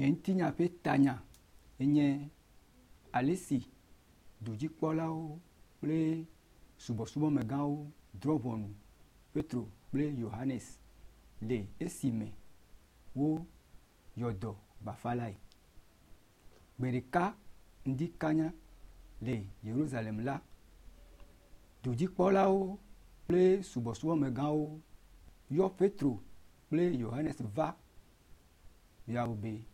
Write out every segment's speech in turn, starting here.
Nye ŋutinya ƒe tanya enye ale si dudzikpɔlawo kple subɔsubɔmegãwo drɔ̃ ʋɔnu Petro kple Yohanes le esime woyɔ dɔ bafalae. Gbe ɖeka ŋdi kanya le Yerusalem la, dudzikpɔlawo kple subɔsubɔmegãwo yɔ Petro kple Yohanes va bia wo be,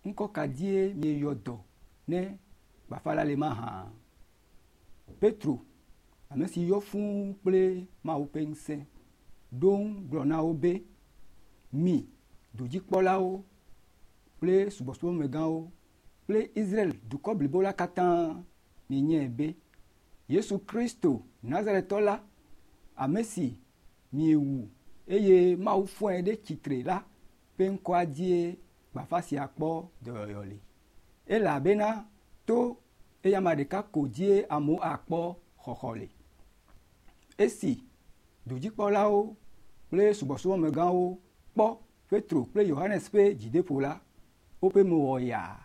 Ŋkɔ ka dzie mieyɔ dɔ ne bafala le mahã? Petro, ame si yɔ fũu kple Mawu ƒe ŋusẽ, ɖo ŋu gblɔ na wo be, Mi dudzikpɔlawo kple subɔsubɔmegãwo kple Israel dukɔ blibo la katã mienyae be Yesu Kristo Nazaretɔ la, ame si miewu eye Mawu fɔe ɖe tsitre la ƒe ŋkɔa dzie bafa sia kpɔ dɔyɔyɔ le. Elabena to eyama ɖeka ko dzie amewo akpɔ xɔxɔ le. Esi dudzikpɔlawo kple subɔsubɔmegãwo kpɔ Petro kple Yohanes ƒe dzideƒo la, woƒe mo wɔ yaa,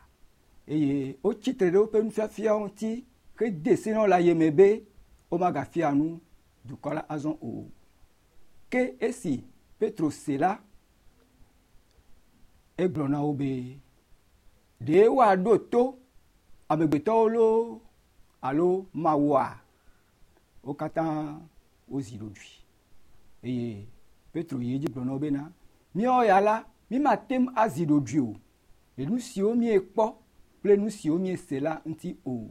eye wotsi tre ɖe woƒe nufiafiawo ŋuti hede se na wo le ayeme be womagafia nu dukɔ la azɔ o. Ke esi Petro se la, egblɔ na wo be, Ɖe woaɖo to amegbetɔwo loo alo Mawua? Wo katã wozi ɖoɖoe. Eye Petro yi edzi gblɔ na wo bena, Míawo ya la, mímate ŋu azi ɖoɖoe o le nu siwo míekpɔ kple nu siwo míese la ŋuti o.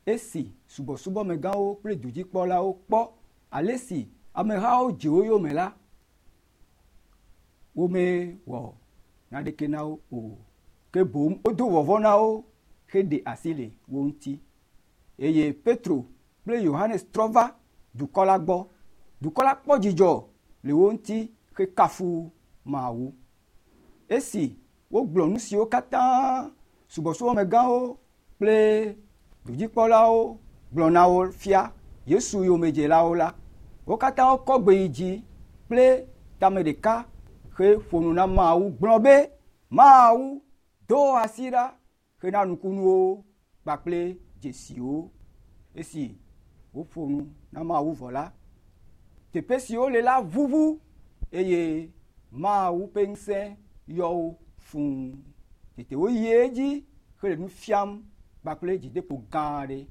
Esi subɔsubɔmegãwo kple dudzikpɔlawo kpɔ ale si amehawo dze wo yome la, womewɔ naneke na wo o, ke boŋ wodo vɔvɔ̃ na wo heɖe asi le wo ŋuti. Eye Petro kple Yohanes trɔ va dukɔ la gbɔ. Dukɔ la kpɔ dzidzɔ le wo ŋuti hekafu Mawu. Esi wogblɔ nu siwo katã subɔsubɔmegãwo kple dudzikpɔlawo gblɔ na wo fia Yesu yomedzelawo la, wo katã wokɔ gbe yi dzi kple tame ɖeka heƒo nu na Mawu gblɔ be, Mawu, do asi ɖa hena nukunuwo kpakple dzesiwo. Esi woƒo nu na Mawu vɔ la, teƒe si wole la ʋuʋu eye Mawu ƒe ŋusẽ yɔ wo fũu. Tete woyi edzi hele nu fiam kpakple dzideƒo gã aɖe.